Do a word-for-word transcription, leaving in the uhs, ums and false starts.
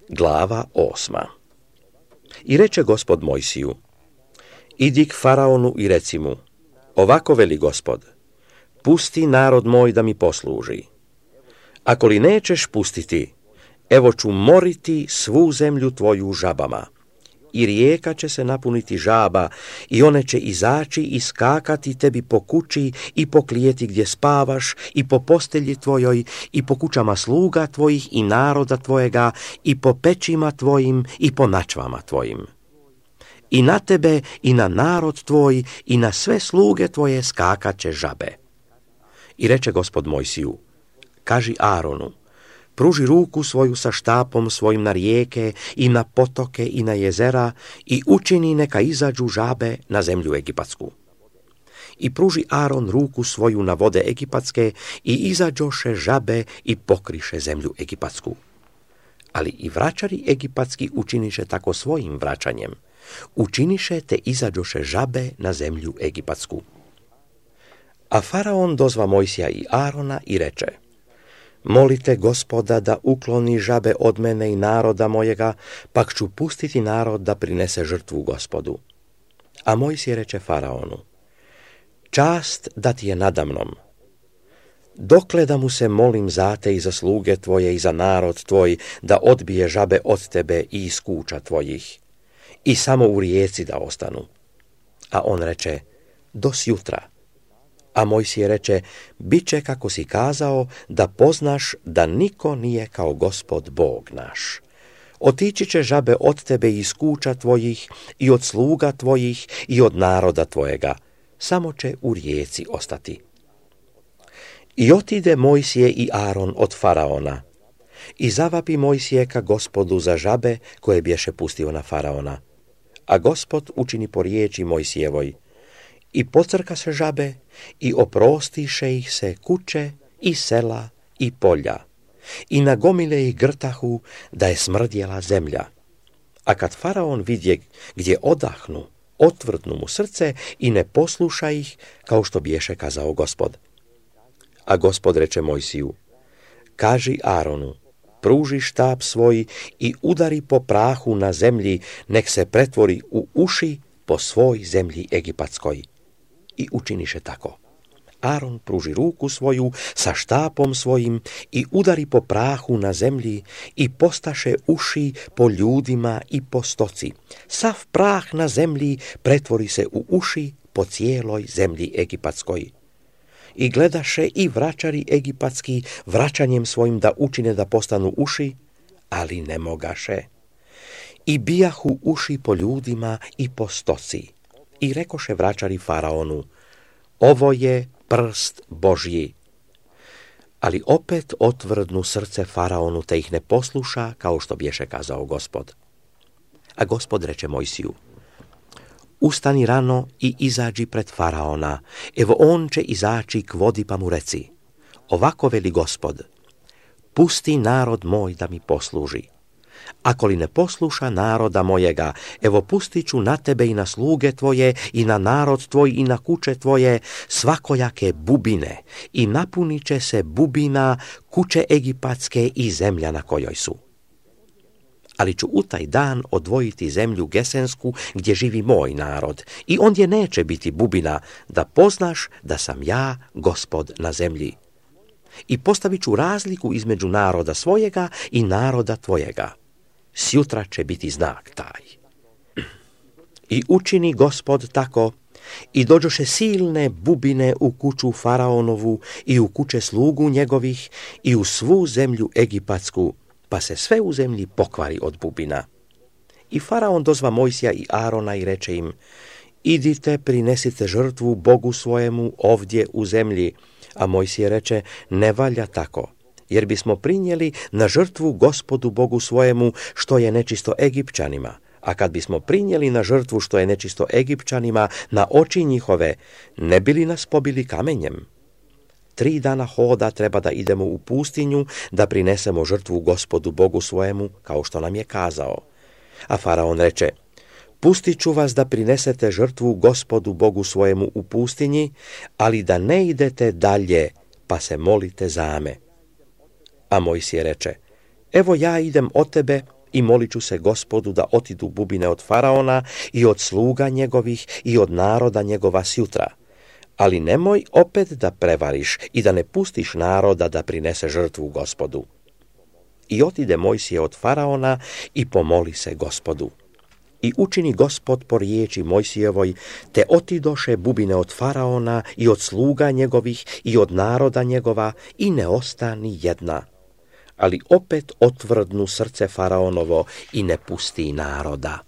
Glava osma. I reče Gospod Mojsiju: idi k Faraonu i reci mu: ovako veli Gospod, pusti narod moj da mi posluži. Ako li nećeš pustiti, evo ću moriti svu zemlju tvoju žabama. I rijeka će se napuniti žaba, i one će izaći i skakati tebi po kući i po klijeti gdje spavaš, i po postelji tvojoj, i po kućama sluga tvojih i naroda tvojega, i po pećima tvojim, i po načvama tvojim. I na tebe, i na narod tvoj, i na sve sluge tvoje skakat će žabe. I reče Gospod Mojsiju: kaži Aronu: pruži ruku svoju sa štapom svojim na rijeke i na potoke i na jezera i učini neka izađu žabe na zemlju egipatsku. I pruži Aron ruku svoju na vode egipatske i izađoše žabe i pokriše zemlju egipatsku. Ali i vraćari egipatski učiniše tako svojim vraćanjem. Učiniše te izađoše žabe na zemlju egipatsku. A Faraon dozva Mojsija i Arona i reče: molite Gospoda da ukloni žabe od mene i naroda mojega, pak ću pustiti narod da prinese žrtvu Gospodu. A Mojsije reče Faraonu: čast da ti je nadamnom. Dokle da mu se molim za te i za sluge tvoje i za narod tvoj, da odbije žabe od tebe i iz kuća tvojih, i samo u rijeci da ostanu. A on reče: do sjutra. A Mojsije reče: bit će kako si kazao, da poznaš da niko nije kao Gospod Bog naš. Otići će žabe od tebe iz kuća tvojih i od sluga tvojih i od naroda tvojega, samo će u rijeci ostati. I otide Mojsije i Aron od Faraona. I zavapi Mojsije ka Gospodu za žabe koje bješe pustio na Faraona. A Gospod učini po riječi Mojsijevoj. I pocrka se žabe, i oprostiše ih se kuće, i sela, i polja, i nagomile ih grtahu, da je smrdjela zemlja. A kad Faraon vidje gdje odahnu, otvrdnu mu srce i ne posluša ih, kao što biješe kazao Gospod. A Gospod reče Mojsiju: kaži Aronu: pruži štap svoj i udari po prahu na zemlji, nek se pretvori u uši po svoj zemlji egipatskoj. I učiniše tako. Aron pruži ruku svoju sa štapom svojim i udari po prahu na zemlji i postaše uši po ljudima i po stoci. Sav prah na zemlji pretvori se u uši po cijeloj zemlji egipatskoj. I gledaše i vraćari egipatski vraćanjem svojim da učine da postanu uši, ali ne mogaše. I bijahu uši po ljudima i po stoci. I rekoše vraćari Faraonu: ovo je prst Božji. Ali opet otvrdnu srce Faraonu, te ih ne posluša, kao što bješe kazao Gospod. A Gospod reče Mojsiju: ustani rano i izađi pred Faraona, evo on će izaći k vodi, pa mu reci: ovako veli Gospod, pusti narod moj da mi posluži. Ako li ne posluša naroda mojega, evo pustit ću na tebe i na sluge tvoje i na narod tvoj i na kuće tvoje svakojake bubine i napunit će se bubina kuće egipatske i zemlja na kojoj su. Ali ću u taj dan odvojiti zemlju Gesensku gdje živi moj narod i ondje neće biti bubina, da poznaš da sam ja Gospod na zemlji. I postavit ću razliku između naroda svojega i naroda tvojega. Sjutra će biti znak taj. I učini Gospod tako, i dođoše silne bubine u kuću Faraonovu i u kuće slugu njegovih i u svu zemlju egipatsku, pa se sve u zemlji pokvari od bubina. I Faraon dozva Mojsija i Arona i reče im: idite, prinesite žrtvu Bogu svojemu ovdje u zemlji. A Mojsije reče: ne valja tako, jer bismo prinijeli na žrtvu Gospodu Bogu svojemu što je nečisto Egipćanima. A kad bismo prinijeli na žrtvu što je nečisto Egipćanima na oči njihove, ne bi li nas pobili kamenjem? Tri dana hoda treba da idemo u pustinju, da prinesemo žrtvu Gospodu Bogu svojemu, kao što nam je kazao. A Faraon reče: pustit ću vas da prinesete žrtvu Gospodu Bogu svojemu u pustinji, ali da ne idete dalje, pa se molite za me. A Mojsije reče: evo ja idem od tebe i molit ću se Gospodu da otidu bubine od faraona i od sluga njegovih i od naroda njegova sjutra. Ali nemoj opet da prevariš i da ne pustiš naroda da prinese žrtvu Gospodu. I otide Mojsije od faraona i pomoli se Gospodu. I učini Gospod po riječi Mojsijevoj, te otidoše bubine od faraona i od sluga njegovih i od naroda njegova i ne ostani jedna. Ali opet otvrdnu srce faraonovo i ne pusti naroda.